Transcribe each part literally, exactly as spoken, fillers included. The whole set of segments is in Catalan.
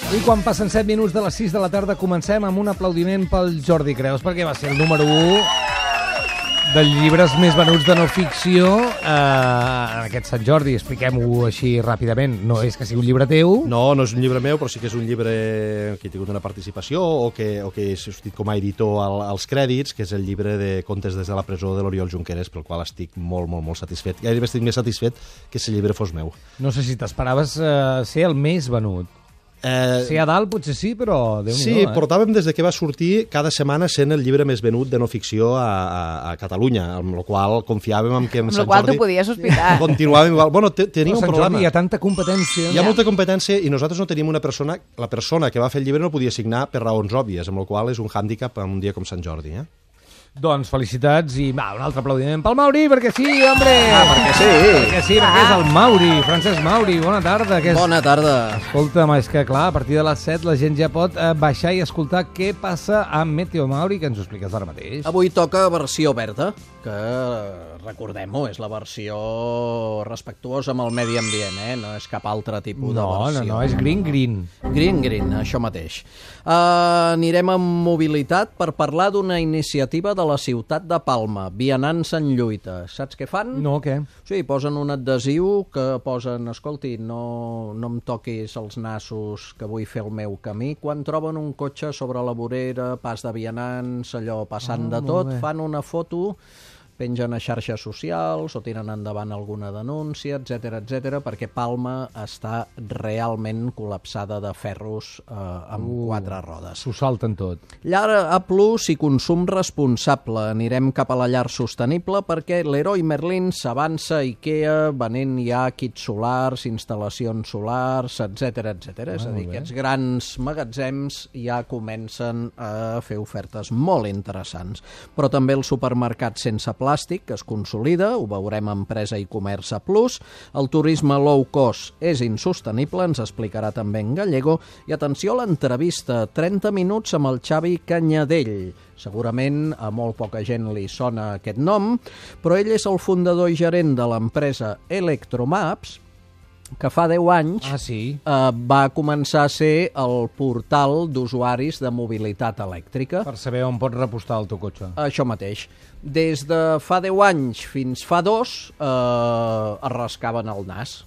I quan passen set minuts de les sis de la tarda comencem amb un aplaudiment pel Jordi Creus, perquè va ser el número u dels llibres més venuts de no ficció eh, en aquest Sant Jordi. Expliquem-ho així ràpidament. No és que sigui un llibre teu. No, no és un llibre meu, però sí que és un llibre que he tingut una participació o que, o que he sortit com a editor al, als crèdits, que és el llibre de Contes des de la presó de l'Oriol Junqueras, pel qual estic molt, molt, molt satisfet. Gairebé estic més satisfet que si el llibre fos meu. No sé si t'esperaves eh, ser el més venut. Eh, Sí, a dalt potser sí, però Déu-n'hi-do, sí, eh? portàvem des de que va sortir cada setmana sent el llibre més venut de no ficció a, a, a Catalunya, amb la qual confiàvem en que en Amb Sant la qual Jordi t'ho podies sospitar. continuàvem igual. Bueno, te, tenia No, un Sant problema. Jordi, hi ha tanta competència. Hi ha molta competència i nosaltres no tenim una persona... La persona que va fer el llibre no podia signar per raons òbvies, amb la qual és un hàndicap en un dia com Sant Jordi, eh? Doncs felicitats i va, un altre aplaudiment pel Mauri, perquè sí, hombre! Ah, perquè sí! Perquè sí, perquè és el Mauri, Francesc Mauri, bona tarda. Que és... Bona tarda. Escolta'm, és que clar, a partir de les set la gent ja pot eh, baixar i escoltar què passa amb Meteo Mauri, que ens ho expliques ara mateix. Avui toca versió verda, que recordem-ho, és la versió respectuosa amb el medi ambient, eh? No és cap altre tipus de No, no, versió. no, és green, green. Green, green, això mateix. Uh, anirem amb mobilitat per parlar d'una iniciativa de la ciutat de Palma, Vianants en lluita. Saps què fan? No, què? Sí, posen un adhesiu que posen, escolti, no, no em toquis els nassos que vull fer el meu camí. Quan troben un cotxe sobre la vorera, pas de vianants, allò passant Ah, de molt tot, bé. fan una foto, pengen a xarxes socials o tiren endavant alguna denúncia, etcètera, etcètera, perquè Palma està realment col·lapsada de ferros eh, amb Uh. quatre rodes. S'ho salten tot. Llar A plus i consum responsable. Anirem cap a la llar sostenible perquè l'Heroi Merlin s'avança a IKEA venent ja kits solars, instal·lacions solars, etcètera, etcètera. És a dir, molt bé. aquests grans magatzems ja comencen a fer ofertes molt interessants. Però també el supermercat sense plàstic, que es consolida, ho veurem a Empresa i Comerç A plus. El turisme low cost és insostenible, ens explicarà també en Gallego. I atenció a l'entrevista, trenta minuts amb el Xavi Canyadell. Segurament a molt poca gent li sona aquest nom, però ell és el fundador i gerent de l'empresa Electromaps, que fa deu anys Ah, sí? eh, va començar a ser el portal d'usuaris de mobilitat elèctrica. Per saber on pots repostar el teu cotxe. Això mateix. Des de fa deu anys fins fa dos eh, es rascaven el nas.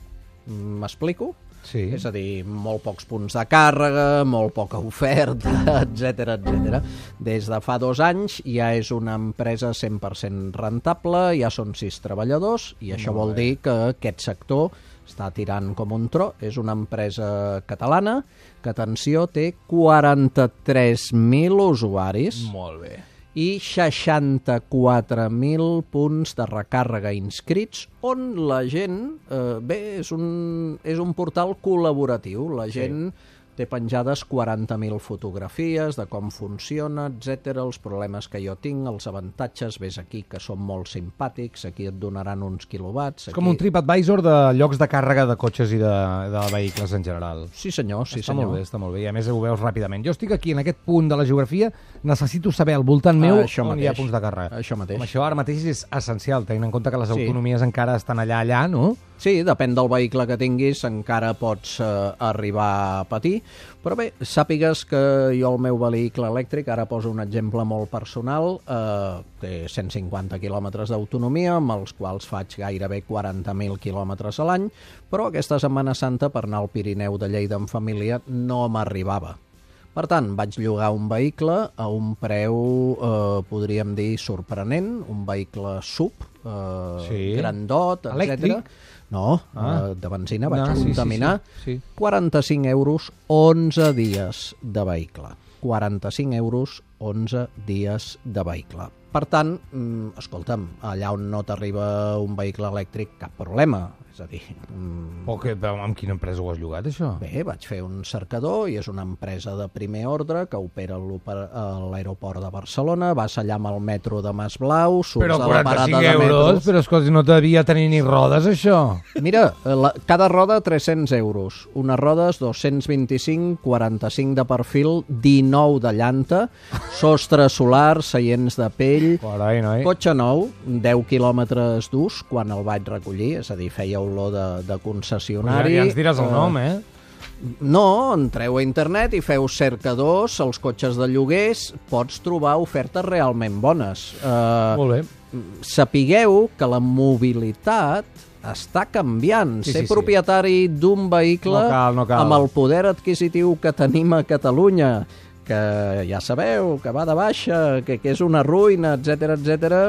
M'explico? Sí. És a dir, molt pocs punts de càrrega, molt poca oferta, etcètera, etcètera. Des de fa dos anys ja és una empresa cent per cent rentable, ja són sis treballadors, i això vol dir que aquest sector està tirant com un tro. És una empresa catalana que, atenció, té quaranta-tres mil usuaris Molt bé. i seixanta-quatre mil punts de recàrrega inscrits, on la gent, eh, bé, és un, és un portal col·laboratiu. La gent té penjades quaranta mil fotografies de com funciona, etcètera, els problemes que jo tinc, els avantatges, ves aquí, que són molt simpàtics, aquí et donaran uns quilowatts. És com un TripAdvisor de llocs de càrrega de cotxes i de, de vehicles en general. Sí senyor, sí està senyor. molt bé, està molt bé, i a més ho veus ràpidament. Jo estic aquí en aquest punt de la geografia, necessito saber al voltant meu Ah, això on hi ha mateix. punts de càrrega. Això mateix. Com això ara mateix és essencial, tenint en compte que les Sí. autonomies encara estan allà, allà, no? Sí, depèn del vehicle que tinguis, encara pots eh, arribar a patir, però bé, sàpigues que jo el meu vehicle elèctric, ara poso un exemple molt personal, eh, té cent cinquanta quilòmetres d'autonomia, amb els quals faig gairebé quaranta mil quilòmetres a l'any, però aquesta Setmana Santa per anar al Pirineu de Lleida en família no m'arribava. Per tant, vaig llogar un vehicle a un preu, eh, podríem dir, sorprenent, un vehicle sub, eh, Sí. grandot, etcètera. Elèctric? No, Ah. eh, de benzina, vaig No, sí, sí, contaminar. sí, sí. quaranta-cinc euros, onze dies de vehicle. quaranta-cinc euros, onze dies de vehicle. Per tant, mm, escolta'm, allà on no t'arriba un vehicle elèctric, cap problema. És a dir, mm, O que, però amb quina empresa ho has llogat, això? bé, vaig fer un cercador i és una empresa de primer ordre que opera l'oper- a l'aeroport de Barcelona, vas allà amb el metro de Masblau, surts Però a la parada quaranta-cinc de euros, metros... però escolta, no devia tenir ni rodes, això. Mira, la, cada roda tres-cents euros, unes rodes dos-cents vint-i-cinc, quaranta-cinc de perfil, dinou de llanta, sostre solar, seients de pell, Carai, noi. cotxe nou, deu quilòmetres d'ús quan el vaig recollir, és a dir, feia olor de, de concessionari. Ja, ja ens diràs el Eh, nom, eh? No, entreu a internet i feu cercadors, els cotxes de lloguers, pots trobar ofertes realment bones. Uh, Molt bé. Sapigueu que la mobilitat està canviant. Sí, Ser sí, sí. propietari d'un vehicle No cal, no cal. amb el poder adquisitiu que tenim a Catalunya, que ja sabeu, que va de baixa, que, que és una ruïna, etcètera, etcètera,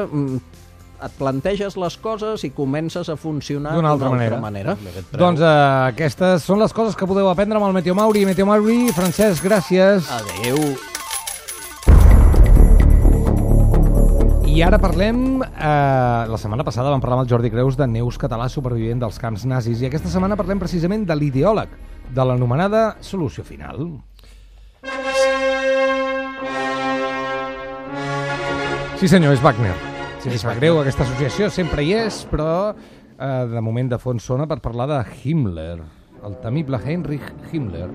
et planteges les coses i comences a funcionar D'una altra manera. manera. Doncs eh, aquestes són les coses que podeu aprendre amb el Meteo Mauri. Meteo Mauri, Francesc, gràcies. Adéu. I ara parlem... Eh, la setmana passada vam parlar amb el Jordi Creus de Neus Català, supervivent dels camps nazis, i aquesta setmana parlem precisament de l'ideòleg de l'anomenada solució final. Sí senyor, és Wagner. Sí, em sap greu, aquesta associació sempre hi és, però eh, de moment de fons sona per parlar de Himmler, el temible Heinrich Himmler.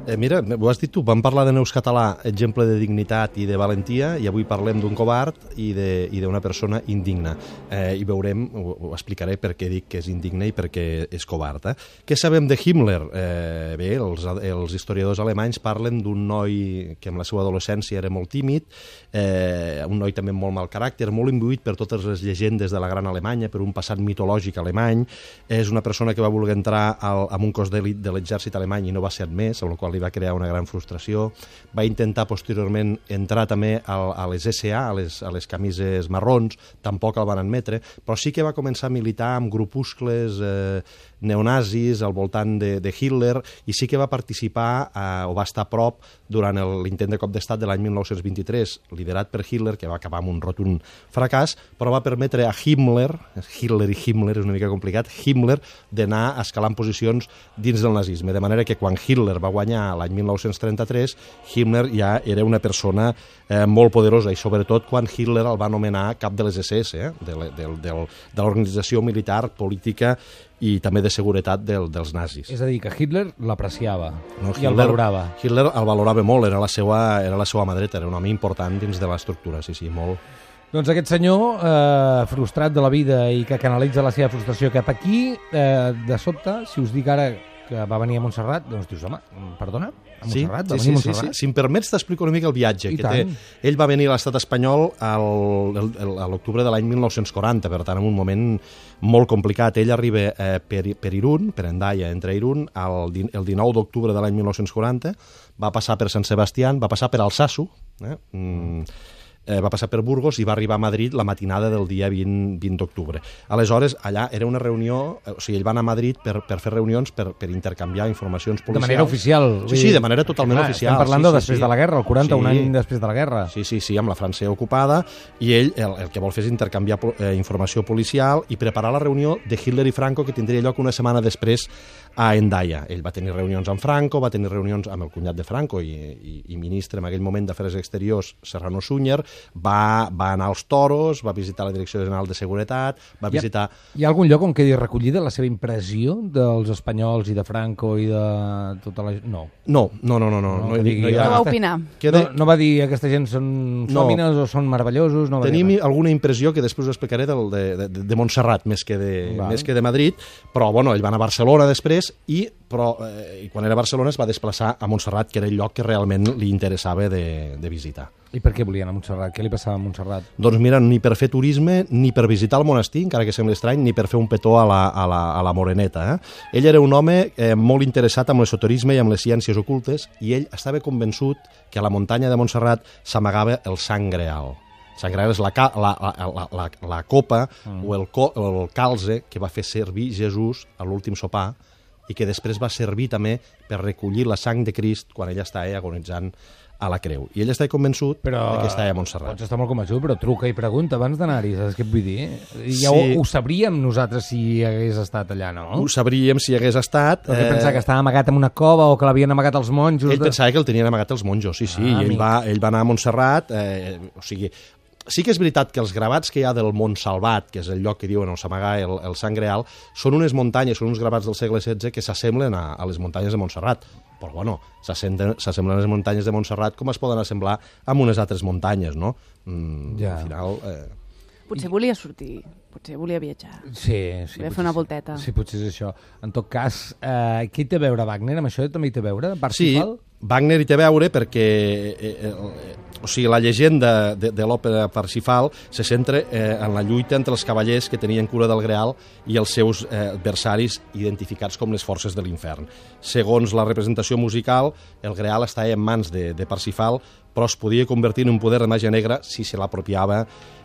Eh, mira, ho has dit tu, vam parlar de Neus Català, exemple de dignitat i de valentia, i avui parlem d'un covard i d'una persona indigna. Eh, I veurem, ho, ho explicaré per què dic que és indigna i per què és covard. Eh? Què sabem de Himmler? Eh, bé, els, els historiadors alemanys parlen d'un noi que en la seva adolescència era molt tímid, eh, un noi també amb molt mal caràcter, molt imbuït per totes les llegendes de la gran Alemanya, per un passat mitològic alemany. És una persona que va voler entrar al, en un cos d'elit de l'exèrcit alemany i no va ser admès, amb la qual li va crear una gran frustració. Va intentar posteriorment entrar també a, a les S A, a les, a les camises marrons, tampoc el van admetre, però sí que va començar a militar amb grupuscles eh, neonazis al voltant de, de Hitler, i sí que va participar eh, o va estar a prop durant l'intent de cop d'estat de l'any mil nou-cents vint-i-tres, liderat per Hitler, que va acabar amb un rotund fracàs, però va permetre a Himmler, Hitler i Himmler és una mica complicat, Himmler d'anar escalant posicions dins del nazisme, de manera que quan Hitler va guanyar l'any mil nou-cents trenta-tres, Himmler ja era una persona eh, molt poderosa, i sobretot quan Hitler el va nomenar cap de les S S, eh, de, de, de, de l'organització militar, política i també de seguretat del, dels nazis. És a dir, que Hitler l'apreciava No, i el valorava. Hitler el valorava molt, era la seva, era la seva mà dreta, era un home important dins de l'estructura, sí, sí, molt. Doncs aquest senyor, eh, frustrat de la vida i que canalitza la seva frustració cap aquí, eh, de sobte, si us dic ara que va venir a Montserrat, doncs dius, home, perdona, a Montserrat, sí, va sí, venir a sí, Montserrat? sí, sí. Si em permets t'explico una mica el viatge I que té. tant. Ell va venir a l'estat espanyol al, el, el, a l'octubre de l'any mil nou-cents quaranta, per tant, en un moment molt complicat. Ell arriba eh, per, per Irún, per Hendaia, entre Irún, el, el dinou d'octubre de l'any mil nou-cents quaranta, va passar per Sant Sebastián, va passar per Alsasu, eh? mm, eh, va passar per Burgos i va arribar a Madrid la matinada del dia vint, vint d'octubre. Aleshores, allà era una reunió, o sigui, ell va anar a Madrid per, per fer reunions, per, per intercanviar informacions policials. De manera oficial. Sí, sí, de manera totalment clar, oficial. Estem parlant sí, de sí, després sí. de la guerra, el quaranta, Sí. un any després de la guerra. Sí, sí, sí, amb la França ocupada, i ell el, el que vol fer és intercanviar eh, informació policial i preparar la reunió de Hitler i Franco, que tindria lloc una setmana després a Hendaia. Ell va tenir reunions amb Franco, va tenir reunions amb el cunyat de Franco i, i, i ministre en aquell moment d'Afers Exteriors, Serrano Súñer, va, va anar als Toros, va visitar la Direcció General de Seguretat, va Hi ha, visitar... hi ha algun lloc on quedi recollida la seva impressió dels espanyols i de Franco i de tota la... No. No, no, no, no. no, No, no, que digui, no hi No ha... va opinar. Queda... No, no va dir aquesta gent són No. sòmines o són meravellosos, no va Tenim dir res. alguna impressió que després ho explicaré del, de, de, de Montserrat més que de, Val. més que de Madrid, però bueno, ell va anar a Barcelona després i, però, eh, i quan era a Barcelona es va desplaçar a Montserrat, que era el lloc que realment li interessava de, de visitar. I per què volien a Montserrat? Què li passava a Montserrat? Doncs mira, ni per fer turisme, ni per visitar el monestir, encara que sembli estrany, ni per fer un petó a la, a la, a la Moreneta. Eh? Ell era un home eh, molt interessat amb l'esoterisme i amb les ciències ocultes, i ell estava convençut que a la muntanya de Montserrat s'amagava el sang greal. Sant Greal és la, ca, la, la, la, la, la copa mm. o, el co, o el calze que va fer servir Jesús a l'últim sopar i que després va servir també per recollir la sang de Crist quan ell estava agonitzant a la creu. I ell està convençut però, que estava a Montserrat. Pots estar molt convençut, però truca i pregunta abans d'anar-hi, saps què et vull dir? Ja Sí. ho, ho sabríem nosaltres si hagués estat allà, no? Ho sabríem si hagués estat... Però què pensava, que estava amagat en una cova o que l'havien amagat els monjos? Ell pensava que el tenien amagat els monjos, sí, sí. Ah, I ell amic. va, ell va anar a Montserrat, eh, o sigui... Sí que és veritat que els gravats que hi ha del Mont Salvat, que és el lloc que diuen on s'amaga el, el sang real, són unes muntanyes, són uns gravats del segle setze que s'assemblen a, a les muntanyes de Montserrat. Però, bueno, s'assemblen a les muntanyes de Montserrat com es poden assemblar amb unes altres muntanyes, no? Mm, Ja. Al final... Eh... Potser volia sortir, potser volia viatjar. Sí, sí. Volia fer una volteta. Sí, potser és això. En tot cas, eh, què hi té a veure Wagner? Amb això també hi té a veure? Sí, Parsifal? Wagner hi té a veure perquè eh, eh, o sigui, la llegenda de, de l'òpera Parsifal se centra eh, en la lluita entre els cavallers que tenien cura del Greal i els seus eh, adversaris identificats com les forces de l'infern. Segons la representació musical, el Greal estava en mans de, de Parsifal, però es podia convertir en un poder de màgia negra si se l'apropiava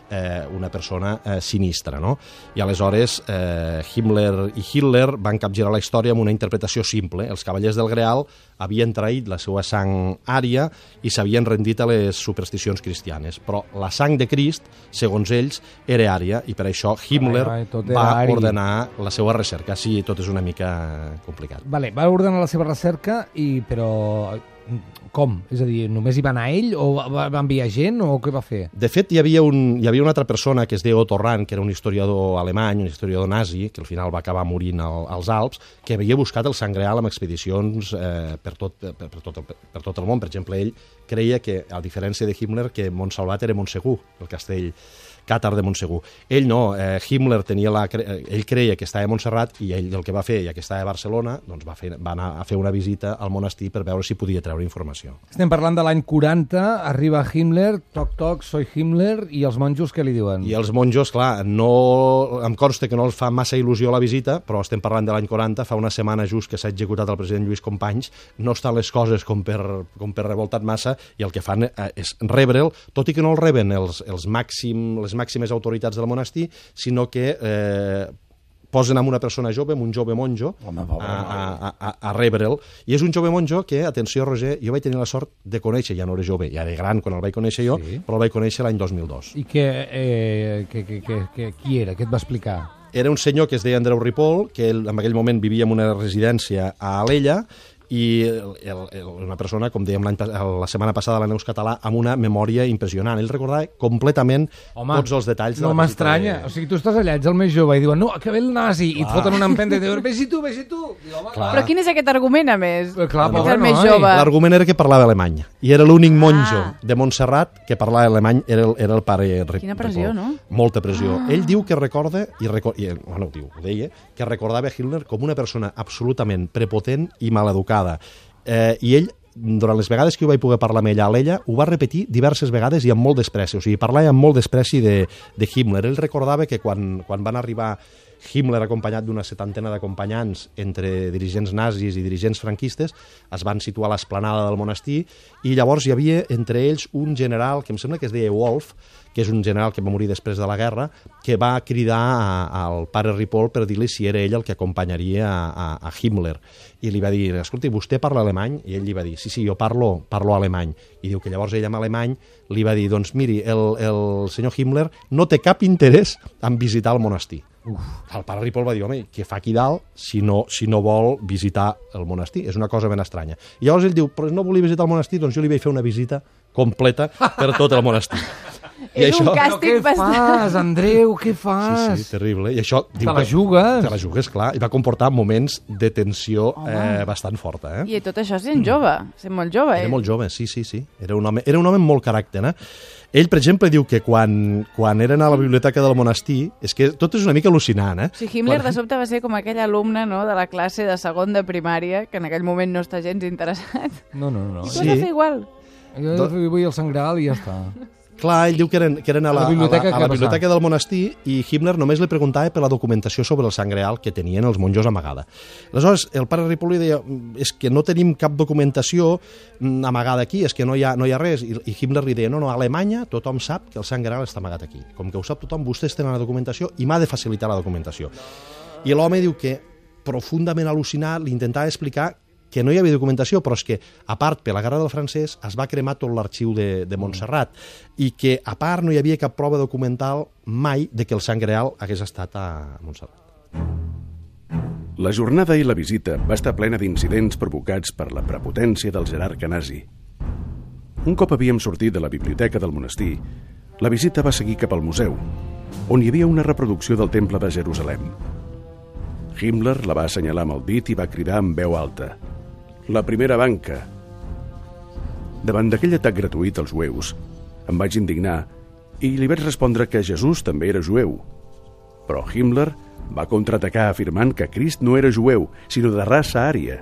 eh, una persona eh, sinistra, no? I aleshores eh, Himmler i Hitler van capgirar la història amb una interpretació simple. Els cavallers del Greal havien traït la seva sang ària i s'havien rendit a les supersticions cristianes, però la sang de Crist, segons ells, era ària, i per això Himmler ai, ai, tot era va ari. ordenar la seva recerca. Sí, tot és una mica complicat. Vale, va ordenar la seva recerca, i però com? És a dir, només hi va anar ell o va, va enviar gent o què va fer? De fet, hi havia, un, hi havia una altra persona que es deia Otto Rahn, que era un historiador alemany, un historiador nazi, que al final va acabar morint al, als Alps, que havia buscat el sang real amb expedicions eh, per, tot, per, per, tot, per, per tot el món. Per exemple, ell creia que, a diferència de Himmler, que Montsalvat era Montsegur, el castell càtar de Montsegur. Ell no, eh, Himmler tenia la, ell creia que estava a Montserrat, i ell el que va fer, ja que estava a Barcelona, doncs va, fer, va anar a fer una visita al monestir per veure si podia treure informació. Estem parlant de l'any quaranta, arriba Himmler, toc toc, soy Himmler, i els monjos què li diuen? I els monjos, clar, no, em consta que no els fa massa il·lusió la visita, però estem parlant de l'any quaranta, fa una setmana just que s'ha executat el president Lluís Companys, no estan les coses com per, com per revoltat massa, i el que fan és rebre'l, tot i que no el reben els, els màxim, les màximes autoritats del monestir, sinó que eh, posen amb una persona jove, amb un jove monjo, Home, pobre, a, a, a, a rebre'l. I és un jove monjo que, atenció, Roger, jo vaig tenir la sort de conèixer, ja no era jove, ja era gran quan el vaig conèixer jo, Sí. però el vaig conèixer l'any dos mil dos. I que, eh, que, que, que, que, qui era? Què et va explicar? Era un senyor que es deia Andreu Ripoll, que ell, en aquell moment vivia en una residència a Alella, i el, el, una persona, com dèiem l'any la setmana passada a la Neus Català, amb una memòria impressionant. Ell recordava completament Home, tots els detalls de no la visita. m'estranya. De... O sigui, tu estàs allà, ets el més jove, i diuen, no, que ve el nazi, i et foten una empenta i diuen, vés-hi tu, vés-hi tu. I, home, Clar. Però quin és aquest argument, a més? Eh, clar, És pobre el més noi. jove. L'argument era que parlava alemany, i era l'únic monjo Ah. de Montserrat que parlava alemany, era el, era el pare Ripoll. Quina pressió, no? Molta pressió. Ah. Ell diu que recorda, i, reco i bueno, ho diu, ho deia, que recordava Hitler com una persona absolutament prepotent i maleducada. Eh, I ell, durant les vegades que jo vaig poder parlar amb ella a l'ella, ho va repetir diverses vegades i amb molt despreci. O sigui, parlava amb molt despreci de, de Himmler. Ell recordava que quan, quan van arribar Himmler acompanyat d'una setantena d'acompanyants entre dirigents nazis i dirigents franquistes, es van situar a l'esplanada del monestir, i llavors hi havia entre ells un general que em sembla que es deia Wolf, que és un general que va morir després de la guerra, que va cridar a, al pare Ripoll per dir-li si era ell el que acompanyaria a, a, a Himmler. I li va dir, escolti, vostè parla alemany? I ell li va dir, sí, sí, jo parlo, parlo alemany. I diu que llavors ell en alemany li va dir, doncs miri, el, el senyor Himmler no té cap interès en visitar el monestir. Uf. El pare Ripoll va dir, home, què fa aquí dalt si no, si no vol visitar el monestir? És una cosa ben estranya. I llavors ell diu, però no volia visitar el monestir, doncs jo li vaig fer una visita completa per tot el monestir. I És això... un Però càstig què bastant... fas, Andreu, què fas? Sí, sí, terrible. I això... Te la jugues. Te la jugues, clar. I va comportar moments de tensió eh, bastant forta. Eh? I tot això sent jove, sent molt jove. Era eh? molt jove, sí, sí, sí. Era un home, era un home amb molt caràcter, eh? Ell, per exemple, diu que quan, quan eren a la biblioteca del monestir, és que tot és una mica al·lucinant, eh? O sigui, Himmler Quan- de sobte va ser com aquell alumne, no?, de la classe de segon de primària, que en aquell moment no està gens interessat. No, no, no. I tu Sí. has de fer igual. Jo vull el Sant Graal i ja està. Clar, ell diu que eren, que eren a la, A la biblioteca, a la, a què la va biblioteca passar? del monestir, i Himmler només li preguntava per la documentació sobre el sang real que tenien els monjos amagada. Aleshores, el pare Ripoll li deia, és que no tenim cap documentació mm, amagada aquí, és que no hi ha, no hi ha res. I, I Himmler li deia, no, no, a Alemanya tothom sap que el sang real està amagat aquí. Com que ho sap tothom, vostès tenen la documentació i m'ha de facilitar la documentació. I l'home diu que, profundament al·lucinat, li intentava explicar que no hi havia documentació, però és que, a part, per la guerra del francès, es va cremar tot l'arxiu de, de Montserrat, i que, a part, no hi havia cap prova documental mai de que el sang real hagués estat a Montserrat. La jornada i la visita va estar plena d'incidents provocats per la prepotència del jerarca nazi. Un cop havíem sortit de la biblioteca del monestir, la visita va seguir cap al museu, on hi havia una reproducció del Temple de Jerusalem. Himmler la va assenyalar amb el dit i va cridar amb veu alta: «La primera banca!» Davant d'aquell atac gratuït als jueus, em vaig indignar i li vaig respondre que Jesús també era jueu. Però Himmler va contraatacar afirmant que Crist no era jueu, sinó de raça ària,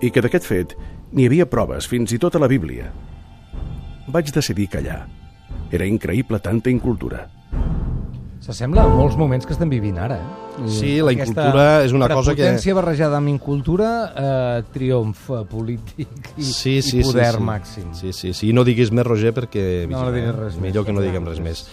i que d'aquest fet n'hi havia proves fins i tot a la Bíblia. Vaig decidir callar. Era increïble tanta incultura. S'assembla a molts moments que estem vivint ara. Eh? Sí, la incultura és una cosa que... Prepotència barrejada amb incultura, eh, triomf polític i, sí, sí, i poder sí, sí. màxim. Sí, sí, sí. No diguis més, Roger, perquè... No, no diguis res millor més. que no diguem res més.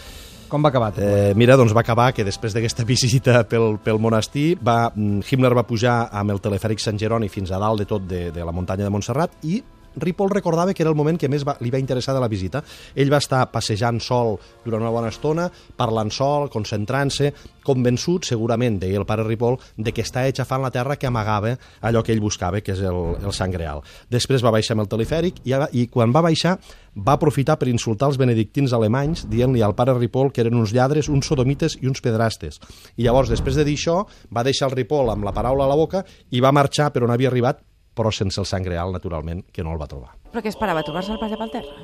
Com va acabar? Eh, mira, doncs va acabar que després d'aquesta visita pel, pel monestir, va, Himmler va pujar amb el telefèric Sant Jeroni fins a dalt de tot de, de la muntanya de Montserrat i Ripoll recordava que era el moment que més va, li va interessar de la visita. Ell va estar passejant sol durant una bona estona, parlant sol, concentrant-se, convençut, segurament, deia el pare Ripoll, de que està aixafant la terra que amagava allò que ell buscava, que és el, el Sant Greal. Després va baixar amb el telefèric i, i quan va baixar va aprofitar per insultar els benedictins alemanys, dient-li al pare Ripoll que eren uns lladres, uns sodomites i uns pedrastes. I llavors, després de dir això, va deixar el Ripoll amb la paraula a la boca i va marxar per on havia arribat, però sense el Sant Greal, naturalment, que no el va trobar. Però què esperava, trobar-se el pas pel terra?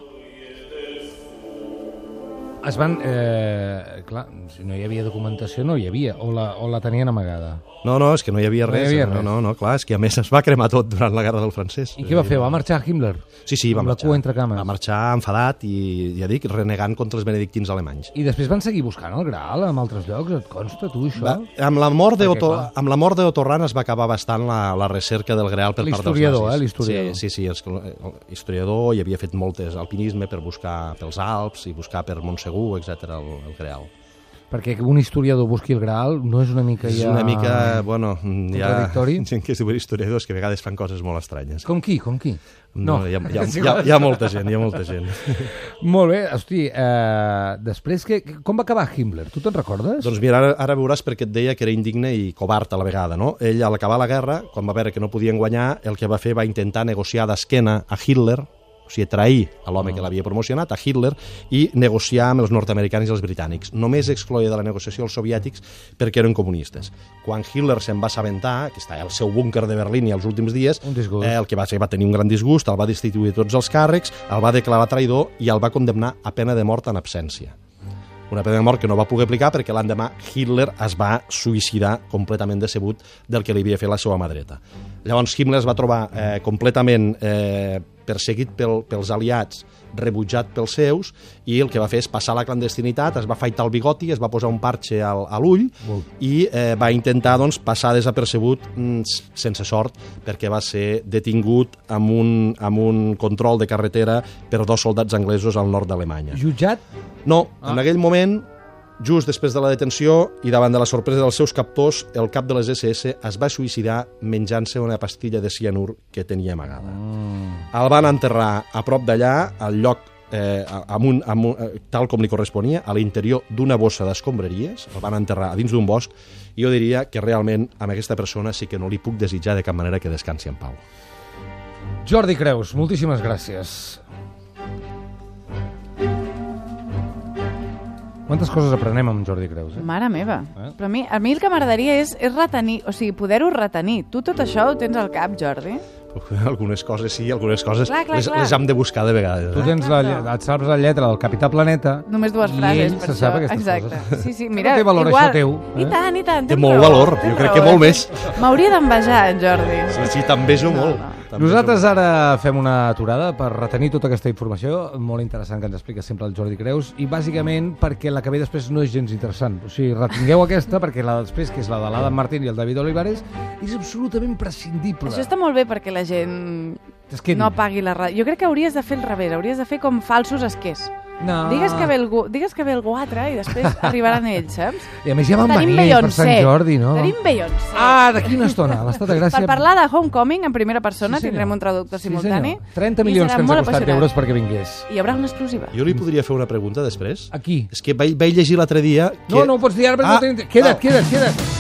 Es van... Eh, clar, si no hi havia documentació, no hi havia, o la, o la tenien amagada. No, no, és que no hi havia No res. hi havia no, res. no, no, clar, és que a més es va cremar tot durant la guerra del francès. I què va fer? Va marxar Himmler? Sí, sí, va amb marxar. la cua entre cames. Va marxar enfadat i, ja dic, renegant contra els benedictins alemanys. I després van seguir buscant el Graal en altres llocs? Et consta, tu, això? Va, amb, la mort de Perquè, Otto, clar. amb la mort d'Otto Rahn es va acabar bastant la, la recerca del Greal per part dels nazis. L'historiador, eh, l'historiador. Sí, sí, sí, els, el historiador hi havia fet moltes alpinisme per buscar pels Alps i buscar per Montsegur, etcètera el, el Greal. Perquè que un historiador busqui el Graal no és una mica És ja... una mica, bueno, hi ha contradictori? gent que es diuen historiadors que a vegades fan coses molt estranyes. Com qui? Com qui? No, hi ha, hi, ha, hi, ha, hi ha molta gent, hi ha molta gent. Molt bé, hosti, eh, després, que, com va acabar Himmler? Tu te'n recordes? Doncs mira, ara, ara veuràs perquè et deia que era indigne i covard a la vegada, no? Ell, al acabar la guerra, quan va veure que no podien guanyar, el que va fer va intentar negociar d'esquena a Hitler, o sigui, trair a l'home que l'havia promocionat, a Hitler, i negociar amb els nord-americans i els britànics. Només excloia de la negociació els soviètics perquè eren comunistes. Quan Hitler se'n va assabentar, que està al seu búnquer de Berlín i els últims dies, Un disgust. eh, el que va fer va tenir un gran disgust, el va destituir de tots els càrrecs, el va declarar traïdor i el va condemnar a pena de mort en absència. Una pena de mort que no va poder aplicar perquè l'endemà Hitler es va suïcidar completament decebut del que li havia fet la seva mà dreta. Llavors Himmler es va trobar eh, completament eh, perseguit pel, pels aliats, rebutjat pels seus, i el que va fer és passar a la clandestinitat, es va afaitar el bigoti, es va posar un parxe al, a l'ull i eh, va intentar doncs, passar desapercebut mm, sense sort, perquè va ser detingut amb un, amb un control de carretera per dos soldats anglesos al nord d'Alemanya. Jutjat? No, en aquell moment, just després de la detenció i davant de la sorpresa dels seus captors, el cap de les esse esse es va suïcidar menjant-se una pastilla de cianur que tenia amagada. Mm. El van enterrar a prop d'allà, al lloc eh, amb un, amb un, eh, tal com li corresponia, a l'interior d'una bossa d'escombraries, el van enterrar a dins d'un bosc, i jo diria que realment amb aquesta persona sí que no li puc desitjar de cap manera que descansi en pau. Jordi Creus, moltíssimes gràcies. Quantes coses aprenem amb Jordi Creus, eh? Mare meva. Eh? Però a mi, a mi el que m'agradaria és, és retenir, o sigui, poder-ho retenir. Tu tot això ho tens al cap, Jordi? Algunes coses sí, algunes coses Clar, clar, les, clar. les hem de buscar de vegades. Tu Eh? tens la, lle- et saps la lletra del Capità Planeta. Només dues i frases, ell per se això. sap aquestes Exacte. coses. Sí, sí, No mira, té valor igual... això teu, eh? I tant, i tant. Té tens molt raó, valor, tens jo crec raó, que molt eh? més. M'hauria d'envejar, en Jordi. Sí, sí, també és molt. No, no. També Nosaltres ara fem una aturada per retenir tota aquesta informació molt interessant que ens explica sempre el Jordi Creus i bàsicament perquè la que ve després no és gens interessant. O sigui, retingueu aquesta perquè la després, que és la de l'Adam Martín i el David Olivares, és absolutament prescindible. Això està molt bé perquè la gent Es quedi. no apagui la ràdio. Jo crec que hauries de fer el revés, hauries de fer com falsos esquers. No. Digues que ve algú, digues que ve algú altre i després arribaran ells, saps? I a més ja van Tenim venir per Sant Beyoncé. Jordi, no? Tenim Beyoncé. Ah, d'aquí una estona, a l'Estat de Gràcia. Per parlar de Homecoming en primera persona, Sí, senyor. tindrem un traductor Sí, simultani. senyor. trenta i milions serà que ens molt ha costat apassionant. d'euros perquè vingués. I hi haurà una exclusiva. Jo li podria fer una pregunta després? Aquí. És que vaig, vaig llegir l'altre dia... Que... No, no ho pots dir ara perquè Ah, no tenim... Queda't, ah. queda't, queda't.